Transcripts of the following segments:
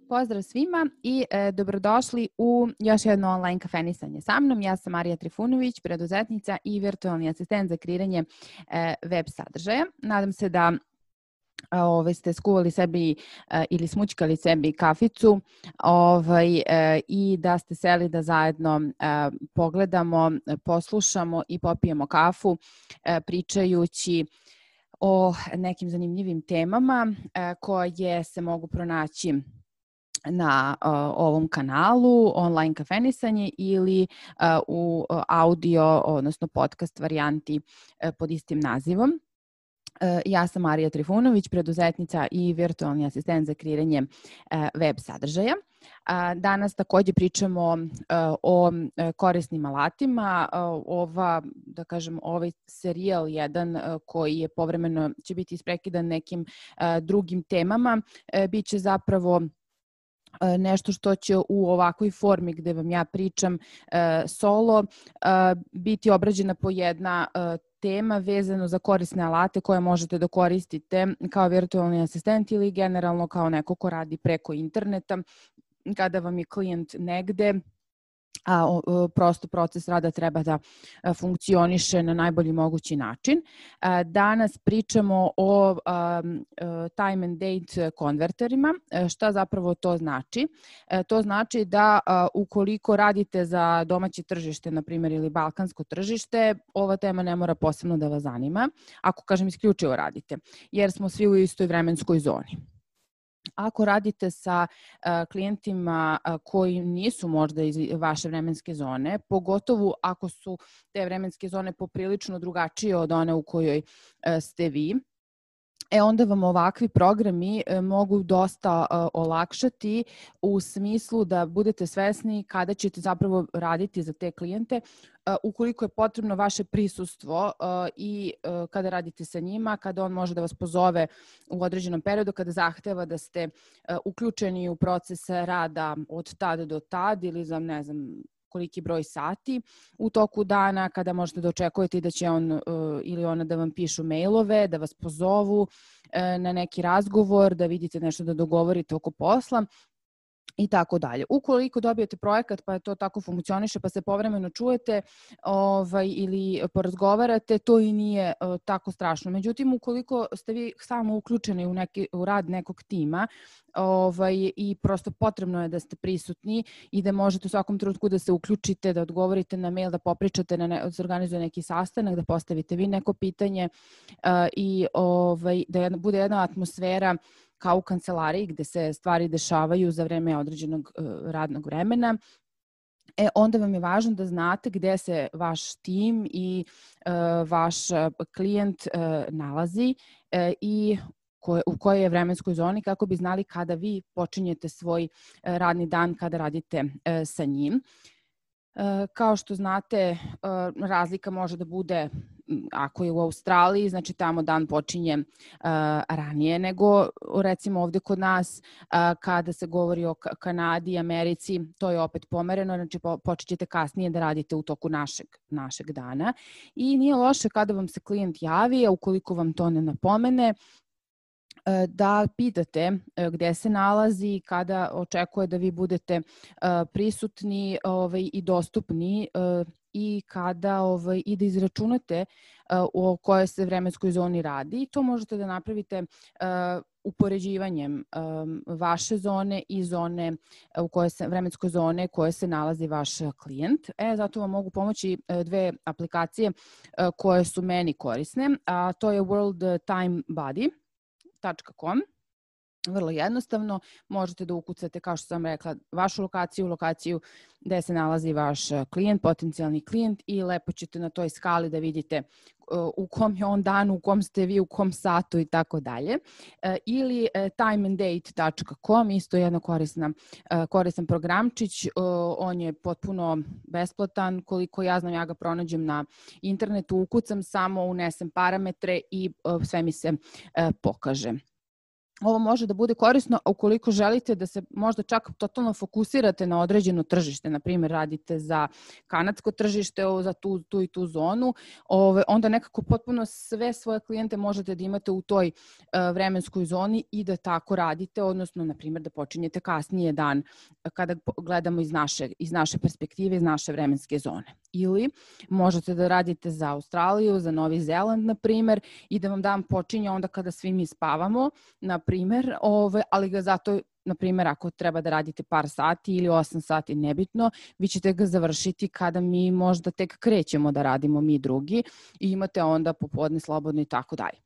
Pozdrav svima i dobrodošli u još jedno online kafenisanje sa mnom. Ja sam Marija Trifunović, preduzetnica i virtualni asistent za kreiranje web sadržaja. Nadam se da ste skuvali sebi ili smućkali sebi kaficu i da ste seli da zajedno pogledamo, poslušamo i popijemo kafu pričajući o nekim zanimljivim temama koje se mogu pronaći na ovom kanalu online kafenisanje ili u audio, odnosno podcast varijanti pod istim nazivom. Ja sam Marija Trifunović, preduzetnica i virtualni asistent za kreiranje web sadržaja. Danas takođe pričamo o korisnim alatima. Ovaj serijal jedan koji je povremeno će biti isprekidan nekim drugim temama, biće zapravo nešto što će u ovakvoj formi gde vam ja pričam solo biti obrađena po jedna tema vezano za korisne alate koje možete da koristite kao virtualni asistent ili generalno kao neko ko radi preko interneta kada vam je klijent negde, a prosto proces rada treba da funkcioniše na najbolji mogući način. Danas pričamo o time and date konverterima. Šta zapravo to znači? To znači da ukoliko radite za domaće tržište, na primjer, ili balkansko tržište, ova tema ne mora posebno da vas zanima, ako kažem isključivo radite, jer smo svi u istoj vremenskoj zoni. Ako radite sa klijentima koji nisu možda iz vaše vremenske zone, pogotovo ako su te vremenske zone poprilično drugačije od one u kojoj ste vi, onda vam ovakvi programi mogu dosta olakšati u smislu da budete svesni kada ćete zapravo raditi za te klijente, ukoliko je potrebno vaše prisustvo i kada radite sa njima, kada on može da vas pozove u određenom periodu, kada zahteva da ste uključeni u proces rada od tad do tad ili za ne znam koliki broj sati u toku dana, kada možete da očekujete da će on ili ona da vam pišu mailove, da vas pozovu na neki razgovor, da vidite nešto da dogovorite oko posla i tako dalje. Ukoliko dobijete projekat pa to tako funkcioniše pa se povremeno čujete ili porazgovarate, to i nije tako strašno. Međutim, ukoliko ste vi samo uključeni u rad nekog tima i prosto potrebno je da ste prisutni i da možete u svakom trenutku da se uključite, da odgovorite na mail, da popričate, da se organizuje neki sastanak, da postavite vi neko pitanje i da bude jedna atmosfera kao u kancelariji gde se stvari dešavaju za vreme određenog radnog vremena, onda vam je važno da znate gde se vaš tim i vaš klijent nalazi i u kojoj je vremenskoj zoni kako bi znali kada vi počinjete svoj radni dan, kada radite sa njim. Kao što znate, razlika može da bude, ako je u Australiji, znači tamo dan počinje ranije nego recimo ovde kod nas, kada se govori o Kanadi i Americi, to je opet pomereno, znači počet ćete kasnije da radite u toku našeg dana i nije loše kada vam se klijent javi, a ukoliko vam to ne napomene, da pitate gde se nalazi, kada očekuje da vi budete prisutni i dostupni i kada i da izračunate o kojoj se vremenskoj zoni radi. To možete da napravite upoređivanjem vaše zone i zone vremenskoj zone koje se nalazi vaš klijent. Zato vam mogu pomoći dve aplikacije koje su meni korisne, a to je worldtimebuddy.com. Vrlo jednostavno, možete da ukucate, kao što sam rekla, vašu lokaciju gde se nalazi vaš klijent, potencijalni klijent i lepo ćete na toj skali da vidite u kom je on danu, u kom ste vi, u kom satu i tako dalje. Ili timeanddate.com, isto jedan koristan programčić, on je potpuno besplatan, koliko ja znam ja ga pronađem na internetu, ukucam samo, unesem parametre i sve mi se pokaže. ovo može da bude korisno ukoliko želite da se možda čak totalno fokusirate na određeno tržište, na primjer radite za kanadsko tržište, za tu i tu zonu, onda nekako potpuno sve svoje klijente možete da imate u toj vremenskoj zoni i da tako radite, odnosno na primjer da počinjete kasnije dan kada gledamo iz naše perspektive, iz naše vremenske zone. Ili možete da radite za Australiju, za Novi Zeland, na primjer, i da vam dan počinje onda kada svi mi spavamo, na primjer, ali ga zato, na primjer, ako treba da radite par sati ili 8 sati, nebitno, vi ćete ga završiti kada mi možda tek krećemo da radimo mi drugi i imate onda popodne slobodno i tako dalje.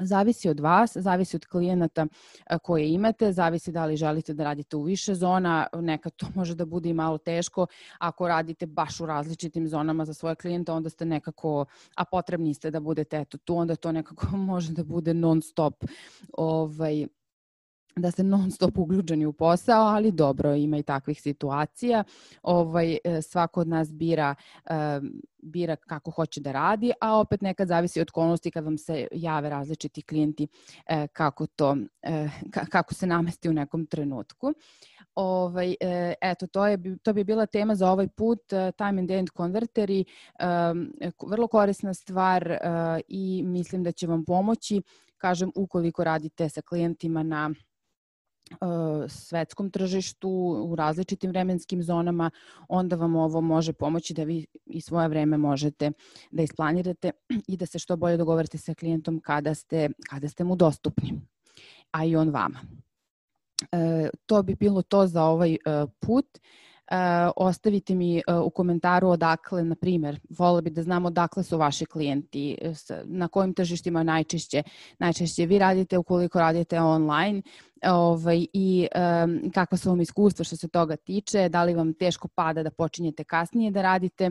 Zavisi od vas, zavisi od klijenata koje imate, zavisi da li želite da radite u više zona, nekad to može da bude i malo teško. Ako radite baš u različitim zonama za svoje klijente, onda ste nekako, a potrebni ste da budete tu, onda to nekako može da bude non stop, da ste non stop uključeni u posao, ali dobro, ima i takvih situacija. Svako od nas bira kako hoće da radi, a opet nekad zavisi od okolnosti kad vam se jave različiti klijenti kako se namesti u nekom trenutku. Eto, to bi bila tema za ovaj put, time and end konverteri, vrlo korisna stvar i mislim da će vam pomoći, kažem, ukoliko radite sa klijentima na svetskom tržištu u različitim vremenskim zonama, onda vam ovo može pomoći da vi i svoje vreme možete da isplanirate i da se što bolje dogovorite sa klijentom kada ste mu dostupni, a i on vama. To bi bilo to za ovaj put. Ostavite mi u komentaru odakle, na primjer, voljela bi da znam odakle su vaši klijenti, na kojim tržištima najčešće vi radite ukoliko radite online, i kakva su vam iskustva što se toga tiče, da li vam teško pada da počinjete kasnije da radite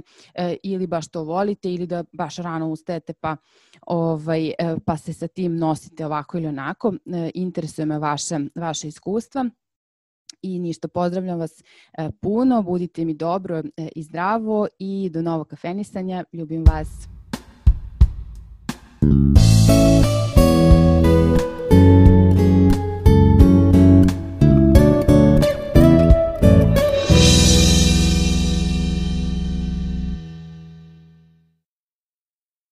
ili baš to volite ili da baš rano ustajete pa se sa tim nosite ovako ili onako. Interesuje me vaše iskustva. I ništa, pozdravljam vas puno, budite mi dobro i zdravo i do novog kafenisanja. Ljubim vas.